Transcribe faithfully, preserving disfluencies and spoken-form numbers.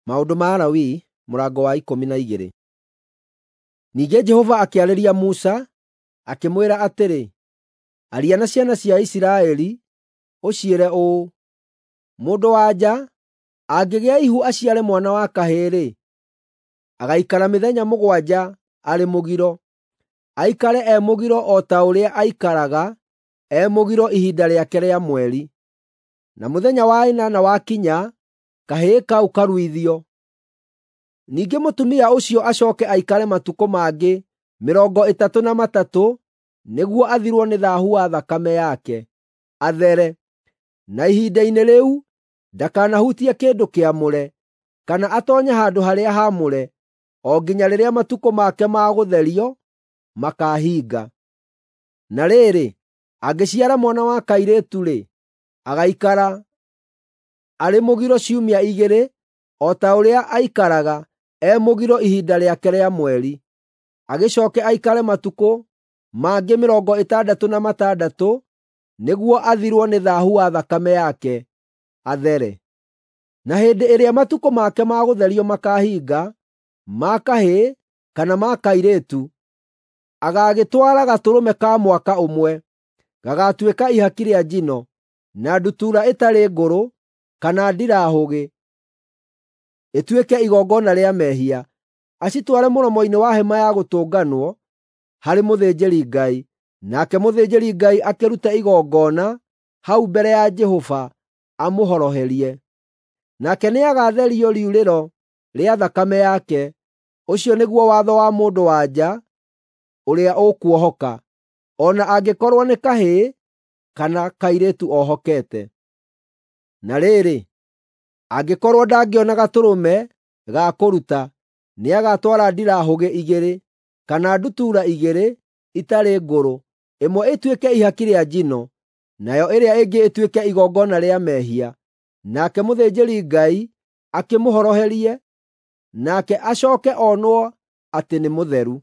Maũndũ ma Alawii mũrango wa ikũmi na igĩrĩ. Ningĩ Jehova akĩarĩria Musa, akĩmwĩra atĩrĩ, “Aria na ciana cia Isiraeli, ũciĩre ũũ: Mũndũ-wa-nja angĩgĩa ihu aciare mwana wa kahĩĩ-rĩ, agaikara mĩthenya mũgwanja arĩ mũgiro. Aikare e mũgiro o ta ũrĩa aikaraga e mũgiro ihinda rĩake rĩa mweri. Na mũthenya wa ĩnana wakinya, kahĩĩ kau karuithio. Ningĩ mũtumia ũcio acooke aikare matukũ mangĩ mĩrongo ĩtatũ na matatũ nĩguo athirwo nĩ thaahu wa thakame yake, athere. Na ihinda-inĩ rĩu ndakanahutie kĩndũ kĩamũre, kana atoonye handũ-harĩa-haamũre, o nginya rĩrĩa matukũ make ma gũtherio makaahinga. Na rĩrĩ, angĩciara mwana wa kairĩtu-rĩ, agaikara arĩ mũgiro ciumia igĩrĩ o ta ũrĩa aikaraga e mũgiro ihinda rĩake rĩa mweri. Agĩcooke aikare matukũ mangĩ mĩrongo ĩtandatũ na matandatũ nĩguo athirwo nĩ thaahu wa thakame yake, athere. Na hĩndĩ ĩrĩa matukũ make ma gũtherio makaahinga, ma kahĩĩ kana ma kairĩtu, agaagĩtwara gatũrũme ka mwaka ũmwe, gagaatuĩka ihaki rĩa njino, na ndutura ĩtarĩ ngũrũ kana ndirahũgĩ, ĩtuĩke igongona rĩa mehia, acitware mũromo-inĩ wa Hema-ya Gũtũnganwo harĩ mũthĩnjĩri-Ngai, nake mũthĩnjĩri-Ngai akĩrute igongona hau mbere ya Jehova amũhoroherie. Nake nĩagatherio riurĩro rĩa thakame yake. Ũcio nĩguo watho wa mũndũ-wa-nja ũrĩa ũkuohoka, o na angĩkorwo nĩ kahĩĩ kana kairĩtu ohokete. Na rĩrĩ, angĩkorwo ndangĩona gatũrũme ga kũruta, nĩagatwara ndirahũgĩ igĩrĩ kana ndutura igĩrĩ itarĩ ngũrũ, ĩmwe ĩtuĩke ihaki rĩa njino, nayo ĩrĩa ĩngĩ ĩtuĩke igongona rĩa mehia. Nake mũthĩnjĩri-Ngai akĩmũhoroherie, nake acooke onwo atĩ nĩ mũtheru.